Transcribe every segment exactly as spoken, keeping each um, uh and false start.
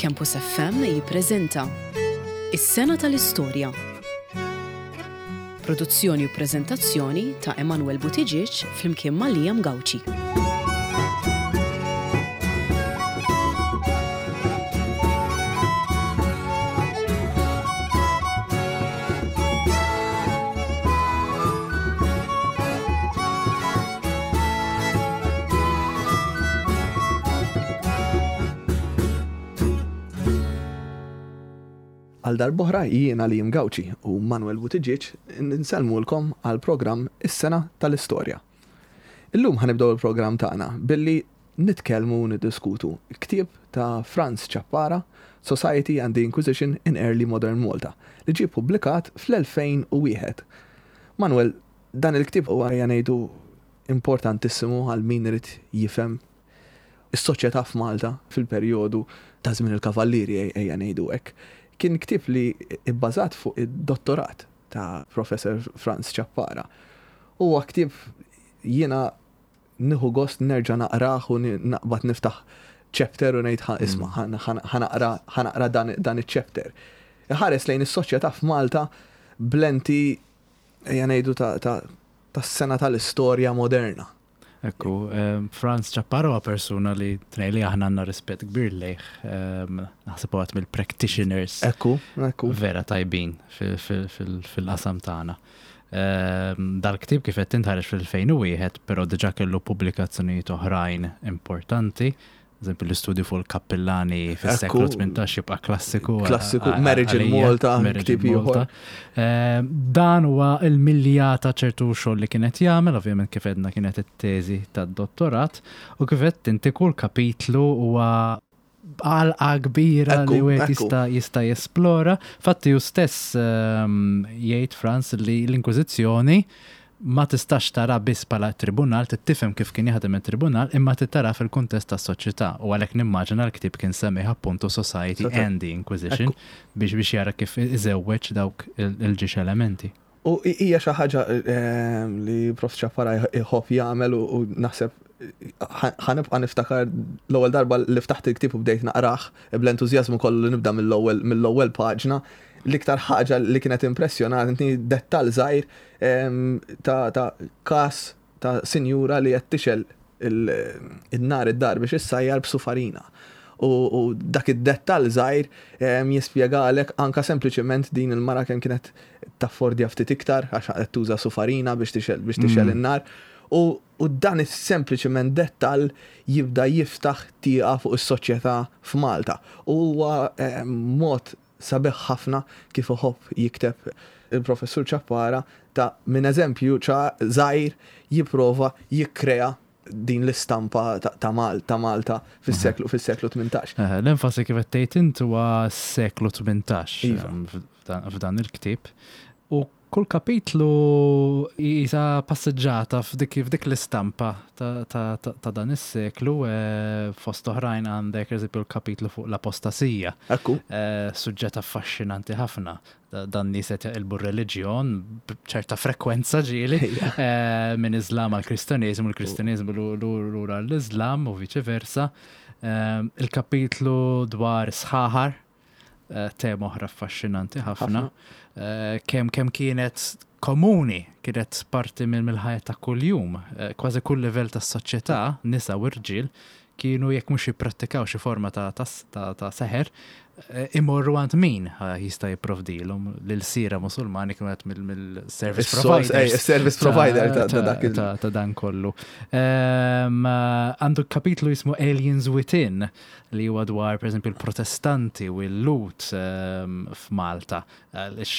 Campus F M jippreżenta Is-Sena tal-Istorja. Produzzjoni u preżentazzjoni ta' Emanuel Buttigieg flimkien ma' Liam Gauci. Għal darb'oħra jiena Liam Gauci u Manuel Buttigieg nsellmulkom għal programm Is-Sena tal-Istorja. Illum ħa nibdew il-programm tagħna billi nitkellmu u niddiskutu ktieb ta' Franz Ciappara, Society and the Inquisition in Early Modern Malta, li ġie publikat fl-elfejn u wieħed. Manuel, dan il-ktieb huwa, ngħidu, importantissimu għal min irid jifhem is-soċjetà f'Malta fil-perjodu ta' żmien il-Kavallieri, ejja ngħidu hekk. Kien ktieb li ibbażat fuq id-dottorat ta' Professor Franz Ciappara. Huwa ktieb jiena nieħu gost nerġa' naqrah u naqbad niftaħ chapter u ngħid, "Ħa isma', ħa naqra dan, dan iċ-chapter." Ħares lejn is-soċjetà f'Malta b'lenti, ejja ngħidu, ta' ta' tas-sena tal-istorja moderna. Ekku, Franz Ciappara huwa persuna li tnej li aħna għandna rispett kbir lejh. Naħseb għat mill-practitioners Ekku, ekku. vera tajbin fil-qasam tagħna. Dal-ktib, kif qed int, ħareġ fil-elfejn u wieħed, però diġà kellu pubblikazzjonijiet oħrajn importanti. Eżempju, l-istudju fuq il-kappillani fis-seklu tmintax jibqa' klassiku. Klassiku, Marriage in Malta, ktieb ieħor. Dan huwa il-milja ta' ċertu xogħol li kienet jagħmel, ovvjament, kif għedna, kienet it-teżi tad-dottorat, u kif qed inti, kull kapitlu huwa għalqa kbira li wieħed jista' jista' jesplora. Fatti hu stess jgħid, Franz, li l-Inkwiżizzjoni ma tistax tara biss bħala tribunal, tifhem kif kien jaħdem il-tribunal, imma tara fil-kuntest tas-soċjetà. U għalhekk nimmaġina l-ktieb kien semmih appuntu Society and the Inquisition biex biex jara kif iżewweġ dawk il-ġiex elementi. U hija xi ħaġa li Prof Ciappara jħobb jagħmel u naħseb ħa nibqa' niftakar l-ewwel darba li ftaħt il-ktieb u bdejt naqrah bl-entużjażmu kollu li nibda mill-ewwel mill-ewwel paġna. L-iktar ħaġa li kienet impressjonatni, dettal żgħir ta' ta' kas ta' sinjura li qed tixgħel il-nar id-dar biex issajjar b'sufarina. U dak id-dettal żgħir jispjegalek anka sempliċement din il-mara kemm kienet taffordja ftit iktar għax qed tuża sufarina biex tixgħel biex tixgħel mm. in-nar. U, u dan is-sempliċement dettal jibda jiftaħ tieqa fuq is-soċjetà f'Malta. U huwa mod sabiħ ħafna kif iħobb jikteb il-professur Ciappara, ta' minn eżempju żgħir jipprova jikkrea din l-istampa ta' Malta Malta fis-seklu fis-seklu tmintax. L-enfasi, kif qed tgħid int, huwa s-seklu tmintax iva. f'dan il-ktieb. U kull kapitlu jisa passeġġata f'dik f'dik l-istampa ta' dan is-seklu. Fost oħrajn għandek, eżempju, l-kapitlu fuq l-apostasija. Ekku. Suġġett affaxxinanti ħafna. Dan nies qed jaqilbu reliġjon b'ċerta frekwenza ġieli minn Islam għal Kristjaneżmu, l-Kristjaneżmu lura l-Islam u viċi versa. Il-kapitlu dwar sħaħar, tema oħra affaxxinanti ħafna. Kemm kemm kienet komuni, kienet parti minn mill-ħajja ta' kuljum, kważi kull livell tas-soċjetà, nisa u rġiel, kienu, jekk mhux jipprattikaw xi forma ta' ta' seħer, imorru għand min jista' jipprovdilhom. L-ilsiera Musulmani kienu qed mill-service provider. Service provider ta' dak ta' dan kollu. Għandu kapitlu jismu Aliens Within, li huwa dwar, pereżempju, il-Protestanti u l-Lhud f'Malta. Għaliex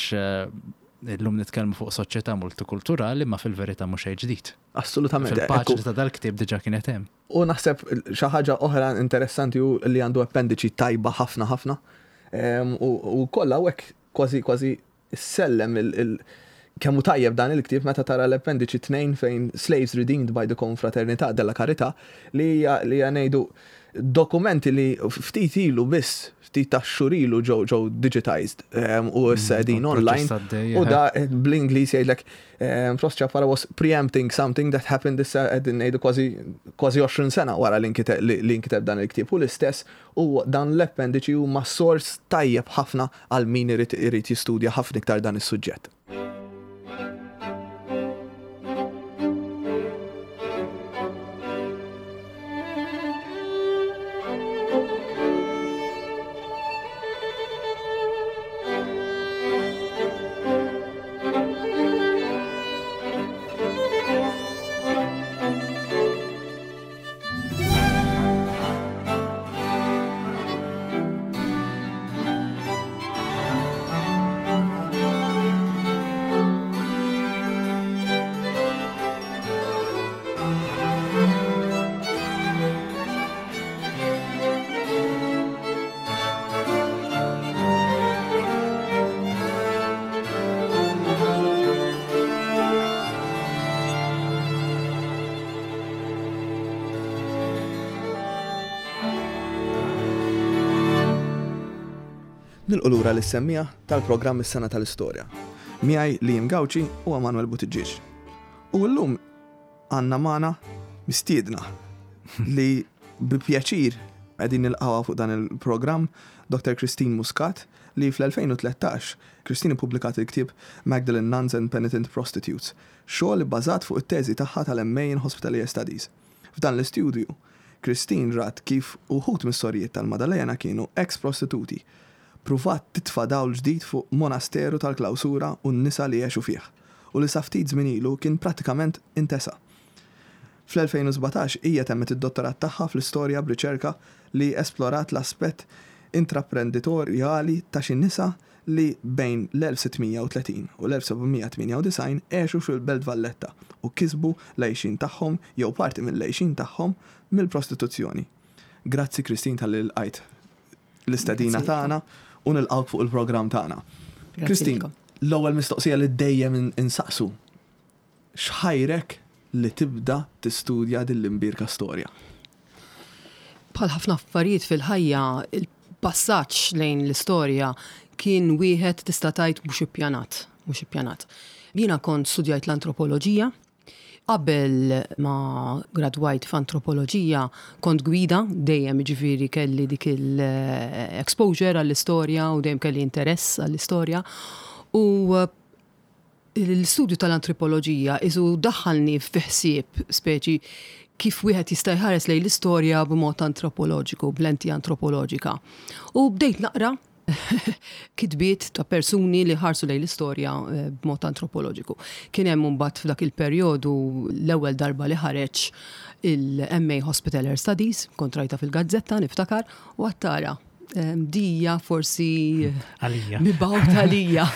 illum nitkellmu fuq soċjetà multikulturali, ma fil-verità mhux xejn ġdid. Assolutament. Fil-paġni ta' dal-ktieb diġà kienet hemm. U naħseb xi ħaġa oħra interessanti hu li għandu appendiċi tajba ħafna ħafna. U kollha hekk kważi kważi sellem Kemm hu tajjeb dan il-ktieb meta tara l-appendiċi tnejn fejn Slaves Redeemed by the Confraternità della Carità li hija li hija ngħidu dokumenti li ftit ilu biss, ftit ta' xhur ilu ġew ġew digitized um, u issa qegħdin online. Proċess għaddej, U da eh, bl-Ingliż jgħidlek um, Prof Ciappara was preempting something that happened issa qegħdin ngħidu kważi kważi għoxrin sena wara li nkiteb li li nkiteb dan il-ktieb. U l-istess u dan l-appendiċi huma sors tajjeb ħafna għal min irid irid jistudja ħafna iktar dan is-suġġett. Nilqu lura lis-semmiegħa tal-programm Is-Sena tal-Istorja. Miegħi Liam Gauci u Emanuel Buttigieg. U llum għandna magħna mistiedna li bi pjaċir qegħdin nilqgħuha fuq dan il-programm, Doktor Christine Muscat, li fl-elfejn u tlettax Christine ippubblikat il-ktieb Magdalene Nuns and Penitent Prostitutes, xogħol ibbażat fuq it-teżi tagħha tal-M A in Hospitalier Studies. F'dan l-istudju, Christine rat kif uħud mis-sorijiet tal-Maddalena kienu ex-prostituti, pruvat titfa' dawl ġdid fuq monasteru tal-klawsura u n-nisa li għexu fih, u li sa ftit żmien ilu kien pratikament intesa. Fl-elfejn u sbatax hija temmet id-dottorat tagħha fl-istorja b'riċerka li esplorat l-aspett intraprenditorjali ta' xi nisa li bejn l-elf sittmija u tletin u l-elf sebgħamija tmienja u disgħin għexu fil-Belt Valletta u kisbu l-għejxin tagħhom jew parti mill-għejxin tagħhom mill-prostituzzjoni. Grazzi Christine tal-li lqajt l-istedina Grazzi. tagħna u nilqgħuk fuq il-programm tagħna. Grazzi Christine, lilkom. l-ewwel mistoqsija li dejjem in-, insaqsu, x'ħajrek li tibda tistudja din l-imbierka storja? Bħal ħafna affarijiet fil-ħajja, il-passaġġ lejn l-istorja kien wieħed tista' tgħid mhux ippjanat, mhux ippjanat. Jiena kont studjajt l-antropoloġija. Qabel ma gradwajt f'antropoloġija kont gwida, dejjem jiġifieri kelli dik il-exposure għall-istorja u dejjem kelli interess għall-istorja. U l-istudju tal-antropoloġija isu daħħalni fi ħsieb speċi kif wieħed jista' jħares lejn l-istorja b'mod antropoloġiku, b'lenti antropoloġika. U bdejt naqra kitbiet ta' persuni li ħarsu lejn l-istorja, eh, b'mod antropoloġiku. Kien hemm imbagħad f'dak il-perjodu l-ewwel darba li ħareġ il-M A Hospitaller Studies, kont rajta fil-gazzetta niftakar, u għattara em, dija forsi Għalija. mibgħut għalija.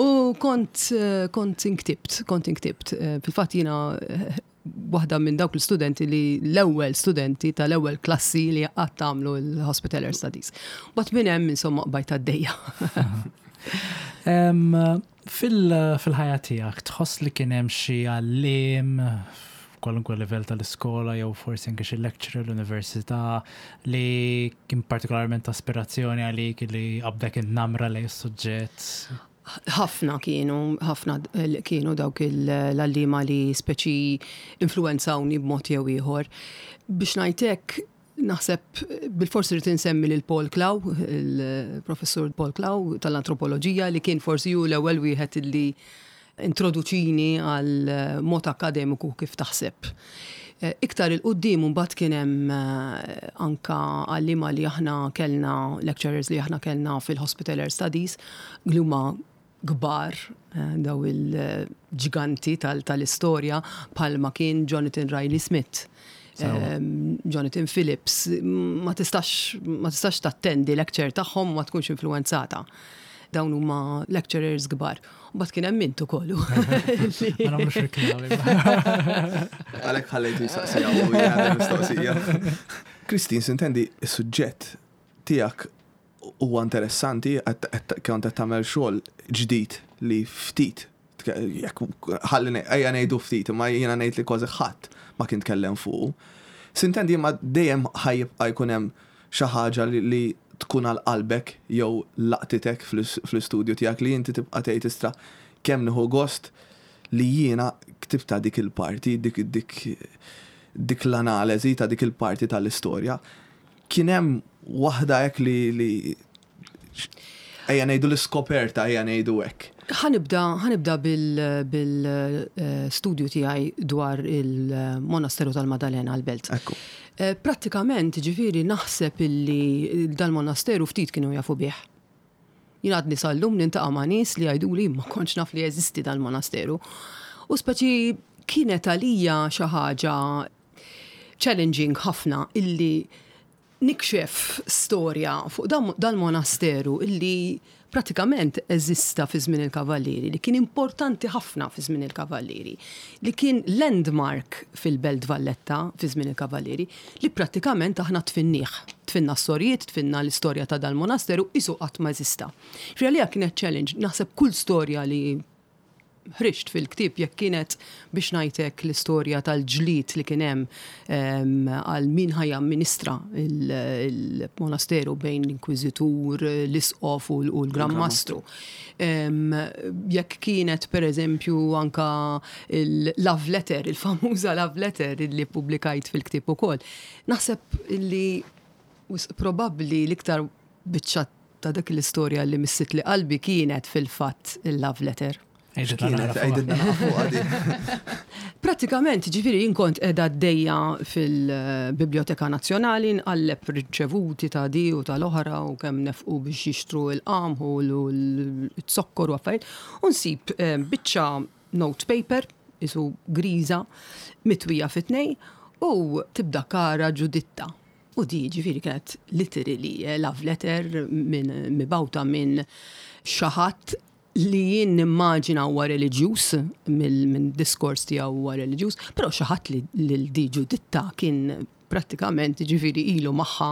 U kont, eh, kont inktibt, kont inktibt. Eh, fil-fatt jiena, eh, waħda minn dawk l-studenti li l-ewwel studenti tal-ewwel klassi li qatt għamlu l-Hospitaller Studies. Bat minn hemm insomma qbajt għaddejja. Em, fil-, fil-ħajja tiegħek tħoss li kien hemm xi għalliem f'kwalunkwe livell tal-iskola jew forsi anke xi lecturer l-università li kien partikolarment aspirazzjoni għalik li qabdek in-namra lejn is-suġġett? Ħafna kienu, ħafna kienu dawk il-, l-għalliema li speċi influenzawni b'mod jew ieħor. Biex ngħidlek, naħseb bil-forsi rrid insemmi lil Paul Clough, il-professur Paul Clough tal-antropoloġija li kien forsi hu l-ewwel wieħed li introduċini għal mod akademiku kif taħseb. Eh, iktar il-qoddim mbagħad kien hemm, eh, anka għalliema li aħna kellna, lecturers li aħna kellna fil-Hospitaller Studies, li huma kbar, eh, daw il-ġiganti tal-, tal-istorja, bħalma kien Jonathan Riley Smith. Sewa. Ehm, Jonathan Phillips, ma tistax, ma tistax tattendi lecture tagħhom ma tkunx influenzata. Dawn huma lecturers kbar. U mbagħad kien hemm int ukoll. Ma nagħmlux reklami. Għalhekk ħallejtu jistaqsija u jgħadha mistoqsija. Christine, sintendi, is-suġġett tiegħek huwa interessanti, qed, qed, kont qed tagħmel xogħol ġdid li ftit Jekk ħalli ejja ngħidu ftit, imma jiena ngħid li kważi ħadd ma kien tkellem fuq. S'intendi, ma dejjem ħa jibqa' jkun hemm xi ħaġa li, li tkun għal qalbek jew laqtitek fl-istudju tiegħek li inti tibqa' tgħid, "Istra, kemm nieħu gost li jiena ktibta dik il-parti, dik dik dik l-analiżi ta' dik il-parti tal-istorja." Kien hemm waħda hekk li li ejja ngħidu l-iskoperta, ejja ngħidu hekk? Ħa nibda, ħa nibda bil-studju tiegħi dwar il-Monasteru tal-Madalena għal-Belt. Ekku. Eh, Prattikament, ġifieri, naħseb illi dal-monasteru ftit kienu jafu bih. Jien għadni sal-lum niltaqa' ma' nies li jgħidu li ma kontx naf li jeżisti dal-monasteru. U speċi kienet għalija xi ħaġa challenging ħafna illi nikxef storja fuq dal-monasteru illi pratikament eżista fi żmien il-Kavallieri, li kien importanti ħafna fi żmien il-Kavallieri, li kien landmark fil-Belt Valletta fi żmien il-Kavallieri, li pratikament aħna dfinnieh. Dfinna s-sorijiet, dfinna l-istorja ta' dal-monasteru, qisu qatt ma eżista. Għalija kienet challenge, naħseb kull storja li ħriġt fil-ktib, jekk kienet biex ngħidlek l-istorja tal-ġlied li kien hemm għal min ħa jamministra il-monasteru bejn l-inkwizitur, l-isqof u l-Gran Mastru. Jekk kienet per eżempju anka il-love letter, il-famuża love letter li publikajt fil-ktib ukoll. Naħseb li probabbli l-iktar biċċa ta' dak l-istorja li missitli qalbi kienet fil-fatt il-love letter. Kienet, għidilna fuq għadi. Pratikament, ġifieri, jien kont qiegħda għaddejja fil-Biblioteka Nazzjonali, nqalleb riċevuti ta' di u tal-oħra u kemm nefqu biex jixtru il-qamħu u l-zokkor u affarijiet, u nsib eh, biċċa notepaper, qisu griża, mitwija fit-tnej, u tibda "Cara Giuditta". U di ġifieri kienet literally eh, love letter minn mibgħuta minn xi ħadd li jien nimmaġina huwa reliġjuż, minn diskors tiegħu huwa reliġjuż, però xi ħadd li lil di Ġuditta kien prattikament ġifieri ilu magħha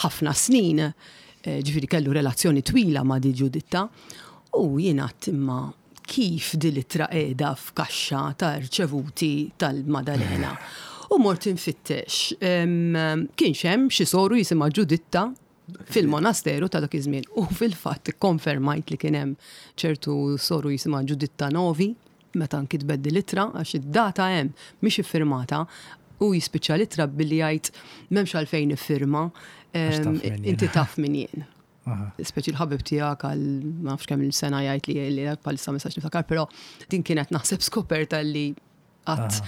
ħafna snin, eh, ġifieri kellu relazzjoni twila ma' di Ġuditta, u jien għedt, "Imma kif di l-ittra qiegħda f'kaxxa ta' rċevuti tal-Madalena?" U mort infittex. Kienx hemm xi soru jisimha Ġuditta fil-monasteru ta' dak iż-żmien. U fil-fatt konfermajt li kien hemm ċertu soru jisimha Ġuditta Novi meta nkitbet di l-ittra, għax id-data hemm, mhix iffirmata, u jispiċċa l-ittra billi jgħid, "M'hemmx għalfejn iffirma, inti taf min jien." Speċi l-ħabib tiegħek għal ma nafx kemm il-sena jgħid li li bħalissa ma nistax niftakar, però din kienet naħseb skoperta li qatt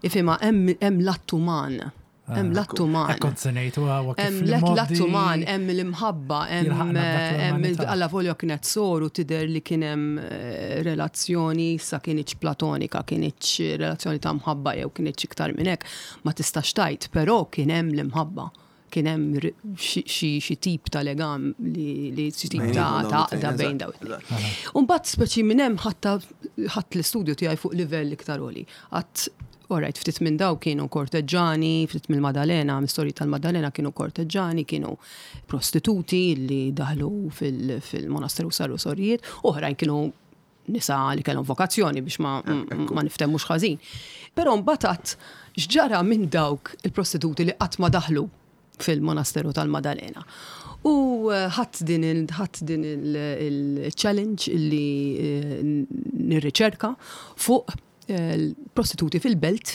ifhimha, hemm l-att uman. Hemm l-att uman. Kont se ngħid huwa kif Hemm l-att uman, hemm l-imħabba, hemm alla volja kienet soru, tidher li kien hemm eh, relazzjoni, sa kinitx platonika, kinitx relazzjoni ta' mħabba jew kinitx iktar minn hekk, ma tistax tgħid, però kien hemm l-imħabba. Kien hemm xi tip ta' legam li xi tip ta' għaqda bejn daw. Umbagħad speċi minn hemm ħadt l-istudju tiegħi fuq livell iktar għoli. Għedt, "Alright, ftit minn daw kienu korteġġani, ftit mill-Madalena, mistorji tal-Madalena kienu korteġġani, kienu prostituti li daħlu fil-monasteru, saru sorijiet, oħrajn kienu nisa li kellhom vokazzjoni", biex ma, ma niftehmux ħażin. Però mbagħad x'ġara minn dawk il-prostituti li qatt ma daħlu fil-monasteru tal-Madalena? U eh, ħadt din ħadt din il-challenge li eh, nirriċerka fuq prostituti fil-belt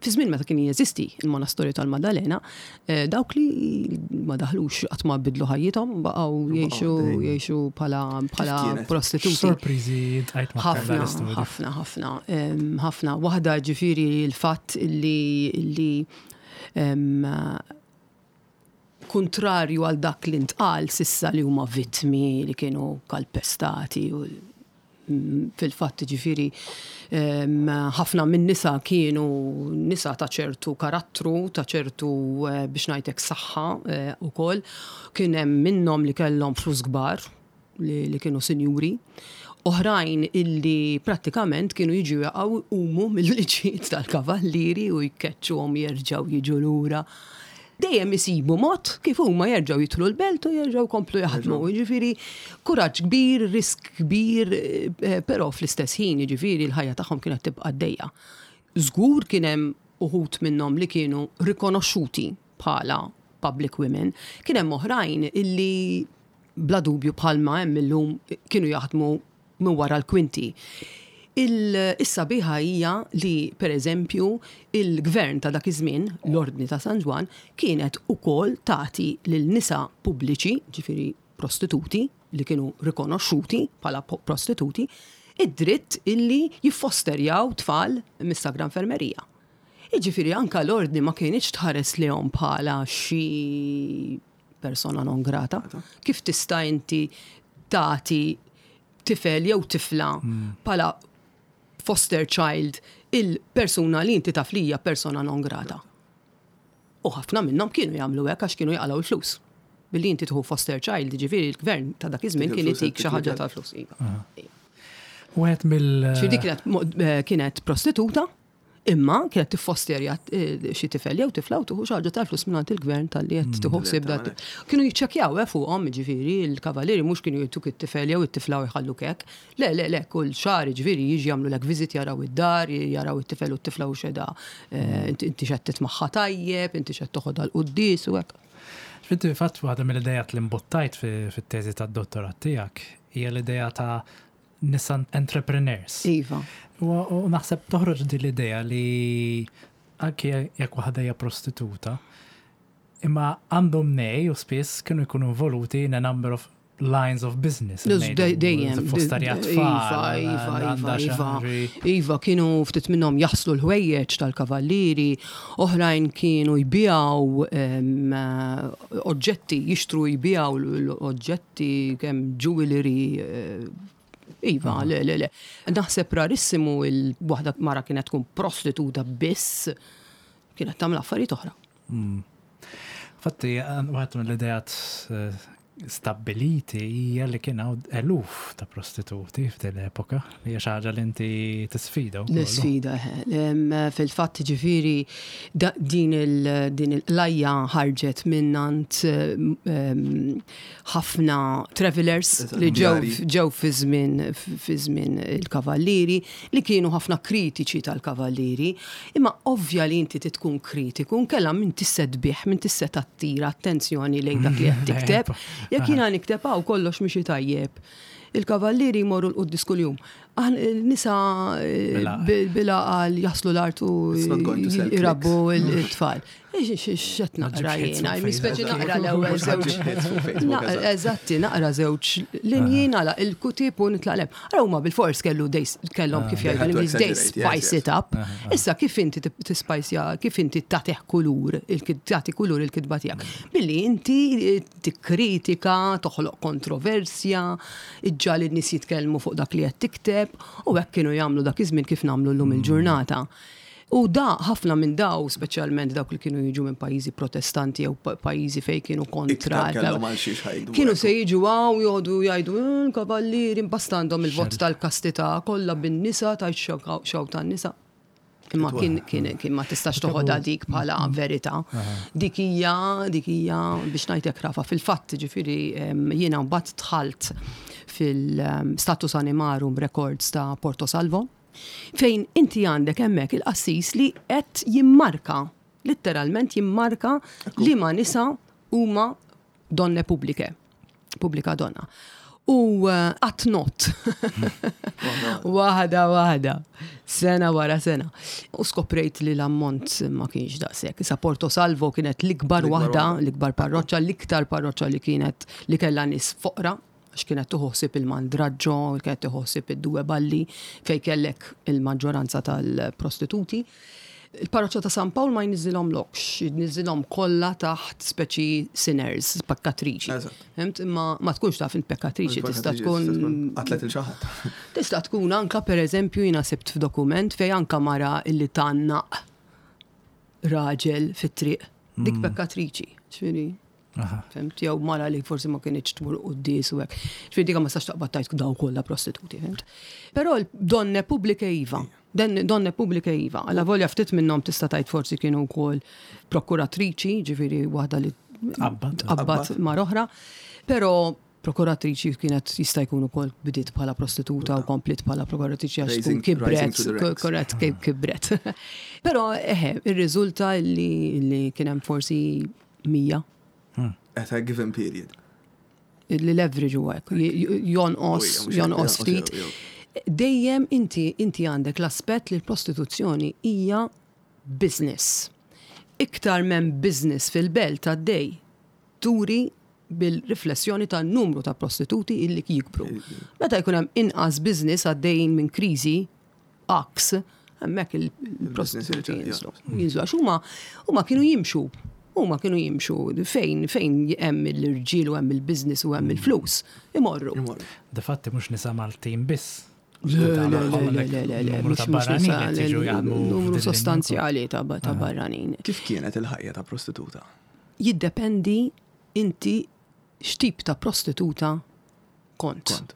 fi żmien meta kien jeżisti il-monastorju tal-Madalena, eh, dawk li ma daħlux, qatt ma bidlu ħajjithom, baqgħu jgħixu jgħixu bħala bħala prostituti. Sorpriżi tajt. Ħafna, ħafna, ħafna, ħafna. Waħda ġifieri l-fatt li li kontrarju għal dak li ntqal s'issa li huma vittmi li kienu kalpestati u fil-fatt ġifieri ħafna minn nisa kienu nisa ta' ċertu karattru, ta' ċertu eh, biex ngħidlek saħħa eh, ukoll. Kien hemm minnhom li kellhom flus kbar li, li kienu sinjuri. Oħrajn illi prattikament kienu jiġu jaqgħu umu mill-liġijiet tal-kavallieri u jkeċċuhom, jerġgħu jiġu lura. Dejjem isibu mod kif huma jerġgħu jidħlu l-belt u jerġgħu komplu jaħdmu. Jiġifieri kuraġġ kbir, risk kbir, eh, però fl-istess ħin jiġifieri l-ħajja tagħhom kienet tibqa' għaddejja. Żgur kien hemm uħud minnhom li kienu rikonoxxuti bħala public women, kien hemm oħrajn illi bla dubju bħalma hemm illum kienu jaħdmu minn wara l-kwinti. Is-sabiħa hija li, per eżempju, il-gvern ta' dak iż-żmien, l-Ordni ta' San Ġwann, kienet ukoll tagħti lil nisa pubbliċi, ġifieri prostituti, li kienu rikonoxxuti bħala prostituti, id-dritt illi jiffosterjaw tfal mis-Sagra Infermerija. Jiġifieri anka l-ordni ma kienx tħares lejhom bħala xi persona non grata. Kif tista' inti tagħti tifel jew tifla bħala foster child il-persuna li inti taf li hija persona non grata? U ħafna minnhom kienu jagħmlu hekk għax kienu jaqalgħu l-flus. Billi inti tieħu foster child, ġifieri l-gvern ta' dak iż-żmien kien itik xi ħaġa tal-flus. Iva. Wieħed mill. Ġifieri dik kienet mo- eh, kienet prostituta, imma kienet tiffosterja eh, xi tifel jew tifla u tieħu xi ħaġa tal-flus mingħand il-gvern talli qed tieħu ħsieb dat. Kienu jiċċekkjaw eh, fuqhom, ġifieri il-kavallieri mhux kienu jtuk it-tifel jew it-tifla u jħalluk hekk. Le, le, le, kull xahar ġifieri jiġi jagħmlu visit, jaraw id-dar, jaraw it-tifel u t-tifla u xeda eh, inti inti x'qed titmagħha tajjeb, inti x'qed toħodha l-quddies u hekk. Finti fatt waħda mill-idejat li mbuttajt fi- fit-teżi tad-dottorat tiegħek hija l-idea ta' nisa entrepreneurs. Iva. U u naħseb toħroġ din l-idea li anke jekk waħda hija prostituta, imma għandhom nej u spiss kienu jkunu involuti in a number of lines of business. Luz, ngħidu, dej- dejjem. Fosterja Iva, tfal. Iva, għandha Iva, xi Iva. ħaġa- Iva, kienu ftit minnhom jaħslu l-ħwejjeġ tal-kavallieri, oħrajn kienu jbijaw em, eh, oġġetti, jixtru jbijaw l-oġġetti kemm jewelry. eh, Iva, le, le, le. Naħseb rarissimu il-waħda mara kienet tkun prostituta biss, kienet tagħmel affarijiet oħra. Fatti, waħed mill-idejat eh, stabiliti hija li kien hawn eluf ta' prostituti f'din l-epoka, li hija xi ħaġa li inti tisfida wkoll. Nisfida, eh. Em, Fil-fatt ġifiri da- din il- din il-lajja ħarġet minnant em, ħafna travelers li ġew Djari. ġew fi żmien fi żmien il-kavallieri li kienu ħafna kritiċi tal-kavallieri. Imma ovvja li inti tkun kritiku, nkella min tista' tbigħ, min tista' tattira attenzjoni lejn dak li qed tikteb. Jekk jiena nikteb hawn kollox mixi tajjeb. Il-kavallieri jmorru l-quddis kuljum. Aħna il-nisa eh, Bila. bil- bila għal jaslu l-art u It's not going to sell jirabbu il-tfal. X'qed naqra ġibx hits jiena, fuq mispeċi Facebook. naqra l-ewwel Mhux żewġ. ħa ġġib hits fuq Facebook, Na- eżatt. Eżatti, naqra żewġ linji nagħlaq il-ktieb u nitlaq lem. Ara huma bil-fors kellu they kellhom kif They jgħidu had to l-Ingliż, they exaggerate, yes, spice yes. it up. Issa kif inti tispajsja, kif inti tagħtih kulur, il-kid- tagħti kulur il-kitba tiegħek? Billi inti eh, tikkritika, toħloq kontroversja, iġġagħal in-nies jitkellmu fuq dak li qed tikteb, u hekk kienu jagħmlu dak iż-żmien kif nagħmlu llum il-ġurnata. U da ħafna minn daw, speċjalment dawk li kienu jiġu minn pajjiżi protestanti jew pa- pajjiżi fejn kienu kontra. Iktar kellhom għal xiex ħajdu. Kienu se jiġu hawn joqogħdu jgħidu "Mm, kavallieri imbasta għandhom il-vot tal-kastità kollha bin-nisa tajt xew tan-nisa. Imma kien kien kien ma tistax toħodha dik bħala verità. Dik hija dik hija biex ngħidlek rafa fil-fatt ġifieri em, jiena mbagħad dħalt fil-Status Animarum Records ta' Porto Salvo fejn inti għandek hemmhekk il-qassis li qed jimmarka, letteralment jimmarka li ma nisa huma donne pubbliche, pubblica donna. U għat not. Waħda, waħda. Sena wara sena. U skoprejt li l-ammont ma kienx daqshekk. Issa Porto Salvo kienet l-ikbar L-ikbar waħda, waħda. l-ikbar parroċċa, l-iktar parroċċa li kienet li kellha nies foqra, għax kienet tuħsib il-mandraġġo, kienet tuħsib id-Due Balli, fej kellek il-maġġoranza tal-prostituti. Il-parroċċa ta' San Pawl ma jniżilhom lokx, jniżilhom kollha taħt speċi sinners, pekkatriċi. Eżatt. Fhimt? Imma ma tkunx taf int pekkatriċi, tista' tkun Qatlet 'il xi ħadd. Tista' tkun anka per eżempju jiena sibt f'dokument fej anka mara illi tgħannaq raġel fit-triq. Dik pekkatriċi. Ġifieri. Fhimt, jew mara li forsi ma kinitx tmur quddies u hekk. Ġifieri dik ma tistax taqbad tgħid daw kollha prostituti, fhimt. Però l-donne pubbliche iva. Den- Donne pubbliche iva. Alla volja ftit minnhom tista' tgħid forsi kienu wkoll prokuratriċi, ġifieri waħda li Tqabbad. tqabbad mar oħra. Però prokuratriċi kienet jista' jkun ukoll bidiet bħala prostituta u komplit bħala prokuratriċi għax tkun Rising- rising kibret, to the ranks. korrett kib kibret. Però eħe, ir-riżulta li, li kien hemm forsi mija At a given period. li l-average huwa hekk, j- j- jonqos, Ujja, mhux hekk, jonqos ftit. jew- jew. Dejjem inti inti għandek l-aspett li l-prostituzzjoni hija business. Iktar minn business fil-belt għaddej turi bil-riflessjoni ta' numru ta' prostituti illi jikbru. Meta jkun hemm inqas business għaddejjin minn kriżi, aks, hemmhekk il-prostituti jerġa' jinżlu. Jinżlu għax huma huma kienu jimxu. Huma kienu jimxu fejn fejn hemm l-irġiel u hemm il-business u hemm il-flus. Imorru. Imorru. Difatti mhux nisa Maltin biss. Le, le, le, le, le, le, le, Numru ta' mhux- mhux barranin nisa, qed jiġu jaħdmu numru f'din sostanzjali ta' ta' barranin. Kif kienet il-ħajja ta' prostituta? Jiddependi inti x'tip ta' prostituta kont. Kont.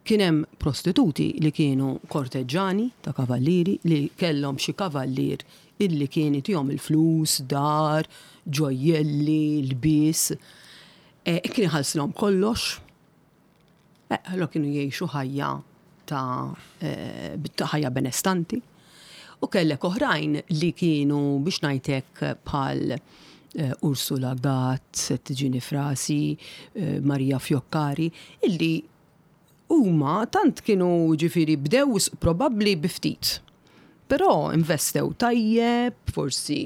Kien hemm prostituti li kienu korteġġani ta' kavallieri li kellhom xi kavallier illi kien itihom il-flus, dar, ġojjelli, lbies. E, kien iħallsilhom kollox. E, allora kienu jgħixu ħajja ta' eh, ta' ħajja benestanti. U kellek oħrajn li kienu biex ngħidlek bħal eh, Ursula Gatt, se tiġini f'rasi, eh, Maria Fioccari, illi huma tant kienu ġifieri bdew s- probabbli bi ftit. Però investew tajjeb, forsi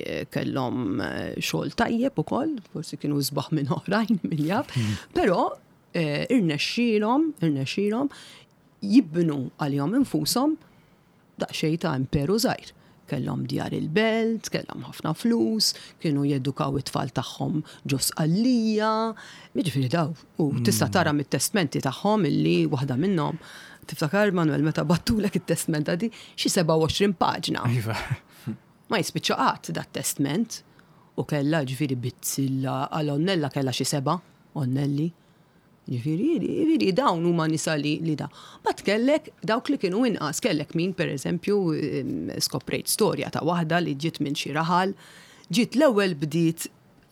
eh, kellhom eh, xogħol tajjeb ukoll, forsi kienu sbaħ minn oħrajn min jaf, però eh, irnexxielhom, irnexxielhom jibnu għalihom infushom daqsxejn ta' imperu żgħir. Kellhom djar il-belt, kellhom ħafna flus, kienu jedukaw it-tfal tagħhom ġo Sqallija, jiġifieri daw. U tista' tara mit-testmenti tagħhom illi waħda minnhom tiftakar Manuel meta bgħattlek it-testment di xi sebgħa u għoxrin paġna. Iva. Ma jispiċċa qatt dat testment u kellha ġifieri bizzilla għal onnella kellha xi seba' onnelli. Ġifieri, ġifieri dawn huma nisa li, li da. But kellek dawk li kienu inqas, kellek min per eżempju em, skoprejt storja ta' waħda li ġiet minn xi raħal, ġiet l-ewwel bdiet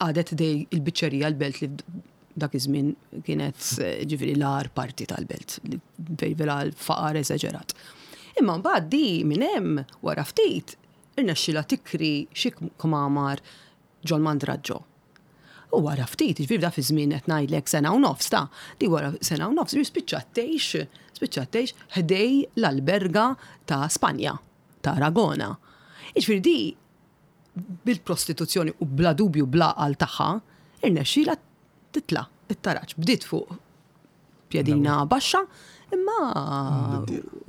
għadet ħdejn il-biċċerija l-belt li dak iż-żmien kienet eh, ġifieri l-agħar parti tal-belt, li fejn vera l-faqar eżaġerat. Imma mbagħad di minn hemm wara ftit irnexxilha tikri xi kmamar ġol Mandraġġo. U wara ftit, ġifieri da fi żmien qed ngħidlek sena u nofs ta' di wara sena u nofs, spiċċat tgħix, spiċċat tgħix ħdejn l-alberga ta' Spanja, ta' Aragona. Ġifieri di bil-prostituzzjoni u bla dubju bla għal tagħha, irnexxila titla' it-taraġ. Bdiet fuq pjedina baxxa, imma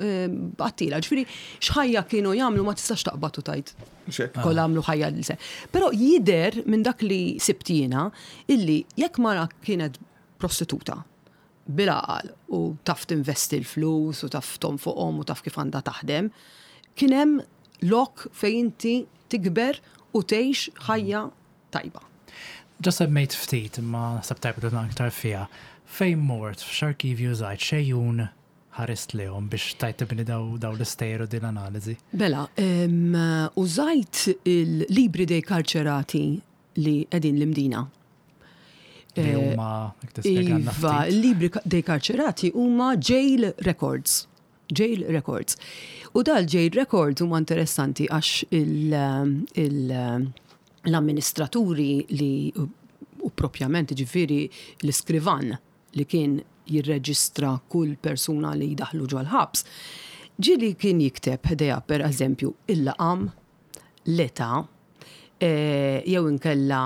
għattila. Ġifieri, x'ħajja kienu jagħmlu ma tistax taqbad u tgħid. Xek. Kollha għamlu ħajja li se. Però jider minn dak li sibt jiena illi jekk mara kienet prostituta bil-għaqal u taf tinvesti l-flus u taf tonfoqhom u taf kif għandha taħdem, kien hemm lok fejn inti tikber u tgħix ħajja tajba. Ġa semmejt ftit, imma naħseb tajb li aktar fiha. Fejn mort, f'x'arkivju użajt, x'għejun ħarist lejhom biex tajt tibni daw daw l-istejjer u din l-analiżi? Mela, em, użajt il-libri dei carcerati li qegħdin l-Imdina. Li Eh, huma jekk tispjegalna Iva, ftit. il-libri dei carcerati huma jail records. Jail records. U dal jail records huma interessanti għax il- il- l-amministraturi li u propjament ġifieri l-iskrivan li kien jirreġistra kull persuna li jdaħlu ġol-ħabs, ġieli kien jikteb ħdejha per eżempju il-laqam, l-età, eh, jew inkella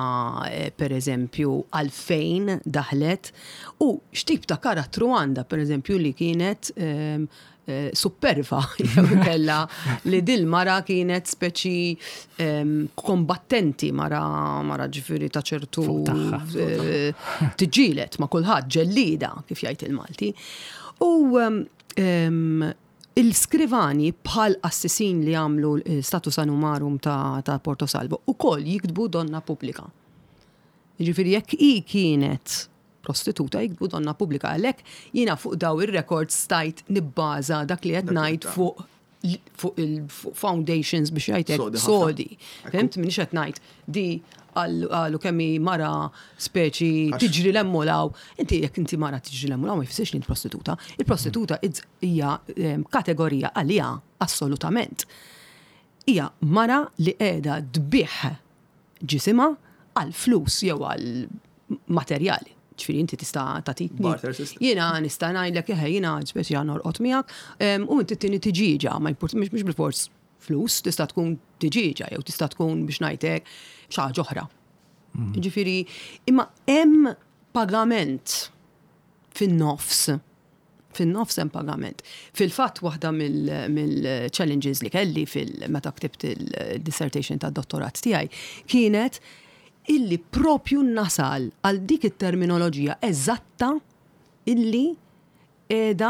eh, per eżempju għalfejn daħlet u x'tip ta' karattru għandha per eżempju li kienet ehm, eh, superva jew inkella li dil mara kienet speċi ehm, kombattenti mara mara ġifieri ta' ċertu Fuq tagħha. eh, tiġġieled ma' kulħadd ġellida kif jgħid il-Malti. U ehm, ehm, il-skrivani bħal qassisin li għamlu status animarum ta', ta' Porto Salvo u koll jiktbu donna pubblika. Jiġifieri jekk hi kienet prostituta jiktbu donna pubblika, għalhekk jiena fuq daw ir-records stajt nibbaża dak li qed Dak li ngħid ta' fuq fuq il-foundations biex jgħidlek Sodi ħafna. sodi. Fhimt minix qed ngħid di għallu kemm hi mara speċi Għax- tiġri l-emmulaw. Inti jekk inti mara tiġri l-emmulaw ma jfissirx li inti prostituta. Il-prostituta it's- hija em, kategorija għalija assolutament. Hija mara li qiegħda tbigħ ġisimha għal flus jew għal materjali. Ġifieri inti tista' tagħtini. Barter system. Jiena nista' ngħidlek eħe jiena speċi norqod miegħek em, u inti tini tiġiġa, ma jimport mhux mhux bil-fors flus, tista' tkun tiġiġa jew tista' tkun biex ngħidlek xi ħaġa oħra. Ġifieri, imma hemm pagament fin-nofs. Fin-nofs hemm pagament. Fil-fatt waħda mill-challenges li kelli fil-meta ktibt il-dissertation tad-dottorat tiegħi kienet illi propju nasal għal dik it-terminoloġija eżatta illi qiegħda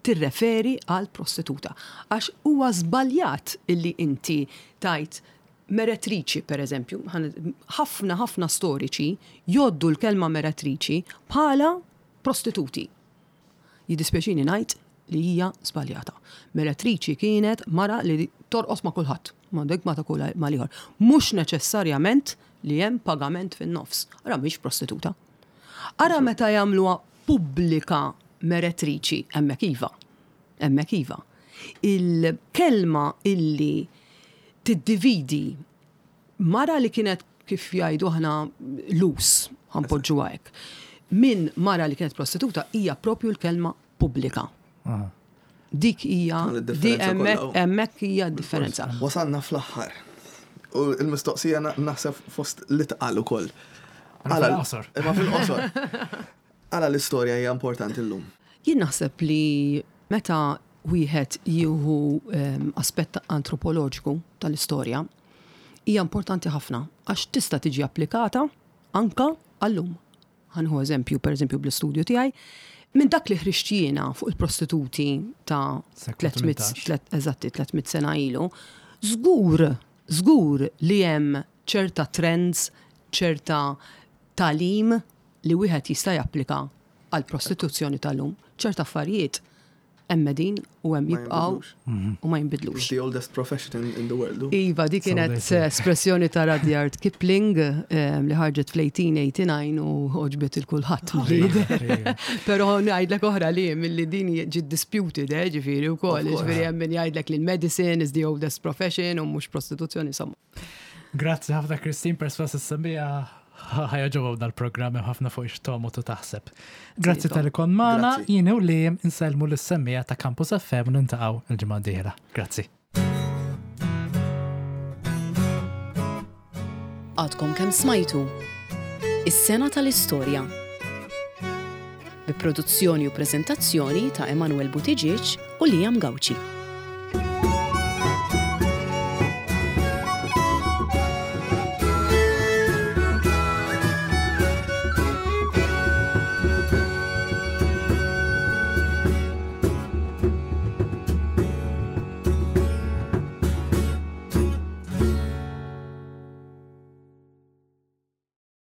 tirreferi għal prostituta. Għax huwa żbaljat illi inti tajt meretriċi, per eżempju, ħan- ħafna ħafna storiċi jgħoddu l-kelma meretriċi bħala prostituti. Jiddispjaċini ngħid li hija żbaljata. Meretriċi kienet mara li torqos ma' kulħadd, ma' dik ma ta' kull ma' ieħor. Mhux neċessarjament li hemm pagament fin-nofs. Ara mhix prostituta. Ara meta jagħmluha pubblika meretriċi, hemmhekk iva. Hemmhekk iva. Il-kelma illi tiddividi mara li kienet kif jgħidu aħna loose, ħa npoġġuha hekk, minn mara li kienet prostituta hija propju l-kelma pubblika. Dik hija Għal di id-differenza hemmhekk kollha. hemmhekk hija d-differenza. Wasalna fl-aħħar. U il-mistoqsija na- naħseb fost li tqal ukoll. Imma Għala- fil-qosor. Imma fil-qosor. Għala l-istorja hija importanti llum. Jien naħseb li meta wieħed jieħu em, aspett antropoloġiku tal-istorja, hija importanti ħafna għax tista' tiġi applikata anka għallum. Ħa nieħu eżempju, per eżempju, bl-istudju tiegħi, minn dak li ħriġt jiena fuq il-prostituti ta' Seklu tliet mitt tmintax. tlet- eżatti tliet mitt sena ilu, żgur, żgur li hemm ċerta trends, ċerta tagħlim li wieħed jista' japplika għal prostituzzjoni tal-lum. Ċerta affarijiet hemm din u hemm Ma jibqgħu jinbidlux. u ma jinbidlux. It's the oldest profession in, in the world. u. Iva, di kienet So they say. espressjoni ta' Rudyard Kipling em, li ħarġet fl-elf disa' mija u disgħa u disgħin u għoġbet lil kulħadd. Pero ngħidlek oħra li milli din ġiet disputed, eh, ġifieri wkoll, Of course. ġifieri hemm min jgħidlek li l-medicine is the oldest profession u mhux prostituzzjoni, insomma. Grazzi ħafna Christine, perswas is-semmiegħa ħa jogħġobhom dal-programm hemm ħafna fuq ix-tomu tu taħseb. Grazzi Tom. talli kont magħna, Grazzi. jien u li insellmu lis-semmiegħa ta' Campus F M u niltaqgħu il-ġimgħa d-dieħla. Grazzi. Għadkom kemm smajtu Is-sena tal-istorja. Bi produzzjoni u preżentazzjoni ta' Emanuel Buttigieg u Liam Gauci.